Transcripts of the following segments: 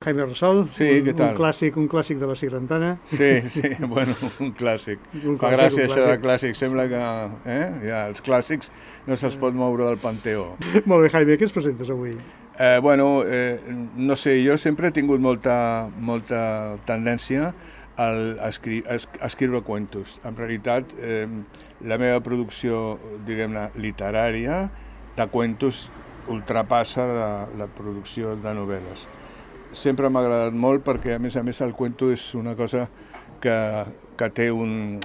Jaime Rosol, Sí, què tal? Un clàssic de la Sigrantana. Sí, bueno, un clàssic. Fa gràcia això de clàssic, sembla que ja, els clàssics no se'ls pot moure del panteó. Molt bé, Jaime, què ens presentes avui? No sé, jo sempre he tingut molta tendència a escriure cuentos. En realitat, la meva producció, diguem-ne, literària de cuentos ultrapassa la producció de novel·les. Sempre m'ha agradat molt perquè, a més, el cuento és una cosa que té un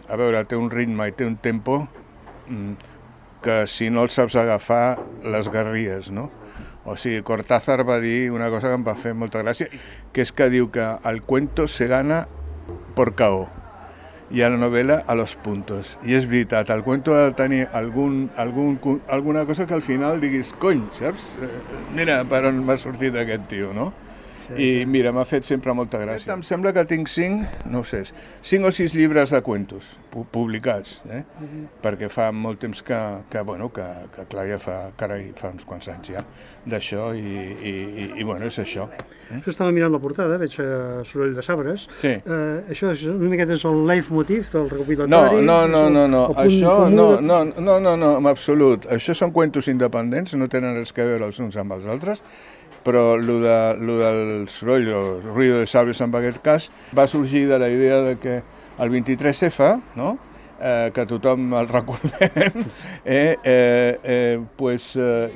ritme i té un tempo que si no el saps agafar, les garries, no? O sigui, Cortázar va dir una cosa que em va fer molta gràcia, que és que diu que el cuento se gana por KO i a la novel·la a los puntos. I és veritat, el cuento ha de tenir alguna cosa que al final diguis, cony, saps? Mira per on m'ha sortit aquest tio, no? I mira, m'ha fet sempre molta gràcia. Em sembla que tinc 5 o 6 llibres de cuentos publicats, perquè fa molt temps que clar, ja fa uns quants anys ja d'això i bueno, és això. Això estava mirant la portada, veig soroll de sabres. Sí. Això és una miqueta el leitmotiv del recopilatori? No, això no, en absolut. Això són cuentos independents, no tenen res a veure els uns amb els altres, però el del soroll, el ruido de sables en aquest cas, va sorgir de la idea de que el 23F, no? Que tothom el recordem,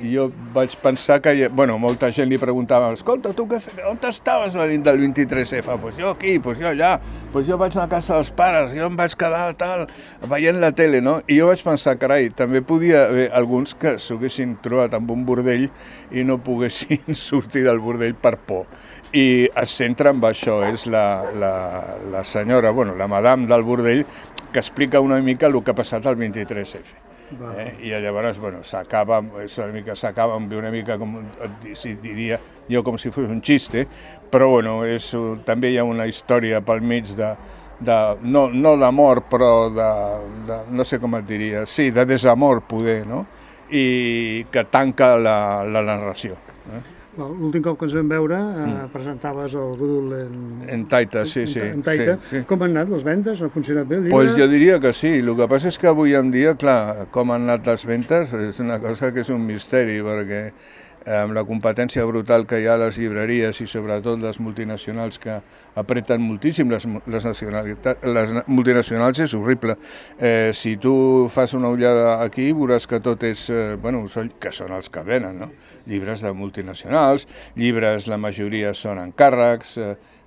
jo vaig pensar que, molta gent li preguntava, escolta, tu on estaves la nit del 23F? Jo aquí, jo allà, jo vaig anar a casa dels pares, jo em vaig quedar tal, veient la tele, no? I jo vaig pensar, carai, també podia haver alguns que s'haguessin trobat amb un bordell i no poguessin sortir del bordell per por. I es centra en això, és la senyora, la madame del bordell, que explica una mica el que ha passat al 23F. I llavors, s'acaba amb una mica, diria jo, com si fos un xiste, però també hi ha una història pel mig no d'amor, però no sé com et diria, sí, de desamor poder, no? I que tanca la narració. L'últim cop que ens vam veure presentaves el Gudul en Taita, sí. Com han anat les vendes? Ha funcionat bé el llibre? Doncs jo diria que sí. El que passa és que avui en dia, clar, com han anat les vendes és una cosa que és un misteri, perquè amb la competència brutal que hi ha a les llibreries i sobretot les multinacionals que apreten moltíssim, les multinacionals és horrible. Si tu fas una ullada aquí veuràs que tot és, que són els que venen, no? Llibres de multinacionals, llibres, la majoria són encàrrecs,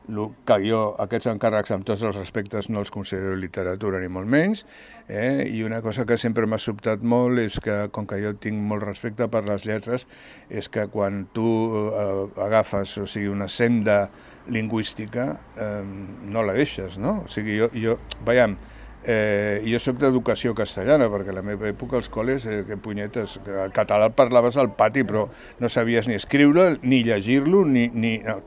que jo aquests encàrrecs amb tots els respectes no els considero literatura ni molt menys, i una cosa que sempre m'ha sobtat molt és que, com que jo tinc molt respecte per les lletres, és que quan tu agafes una senda lingüística no la deixes, no? O sigui, jo soc d'educació castellana, perquè a la meva època als col·les, que punyetes, el català el parlaves al pati, però no sabies ni escriure, ni llegir-lo,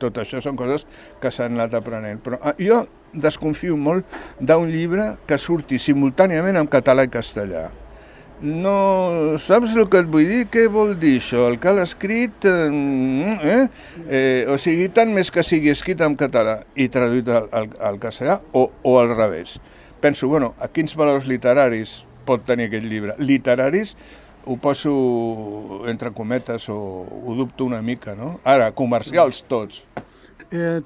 tot això són coses que s'han anat aprenent. Però jo desconfio molt d'un llibre que surti simultàniament en català i castellà. No saps el que et vull dir? Què vol dir això? El que l'ha escrit, o sigui, tant més que sigui escrit en català i traduït al castellà, o al revés. Penso, a quins valors literaris pot tenir aquest llibre? Literaris ho poso entre cometes o ho dubto una mica, no? Ara, comercials tots.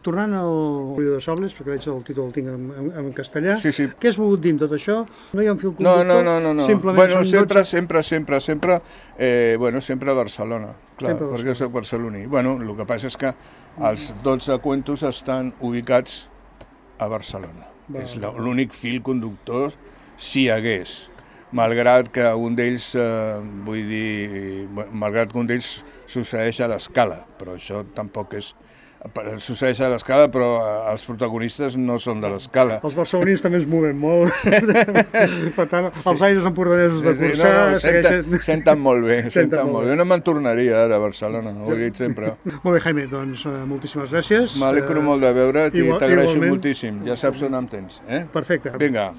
Tornant al Ruido de Sables, perquè veig el títol el tinc en castellà, sí. Què has volgut dir amb tot això? No hi ha un fil conductor? No. Sempre a Barcelona, clar, perquè soc barceloní. El que passa és que els 12 cuentos estan ubicats a Barcelona. És l'únic fil conductor, si hi hagués. Malgrat que un d'ells, succeeix a l'Escala, però això tampoc és... Succeeix a l'Escala, però els protagonistes no són de l'Escala. Els barcelonins també es mouen molt. Per tant, els aires empordanesos de Corçà... Senten molt bé, No me'n tornaria ara a Barcelona, ho he dit sempre. Molt bé, Jaime, doncs moltíssimes gràcies. M'alegro molt de veure't i t'agraeixo moltíssim. Ja saps on em tens. Perfecte. Vinga.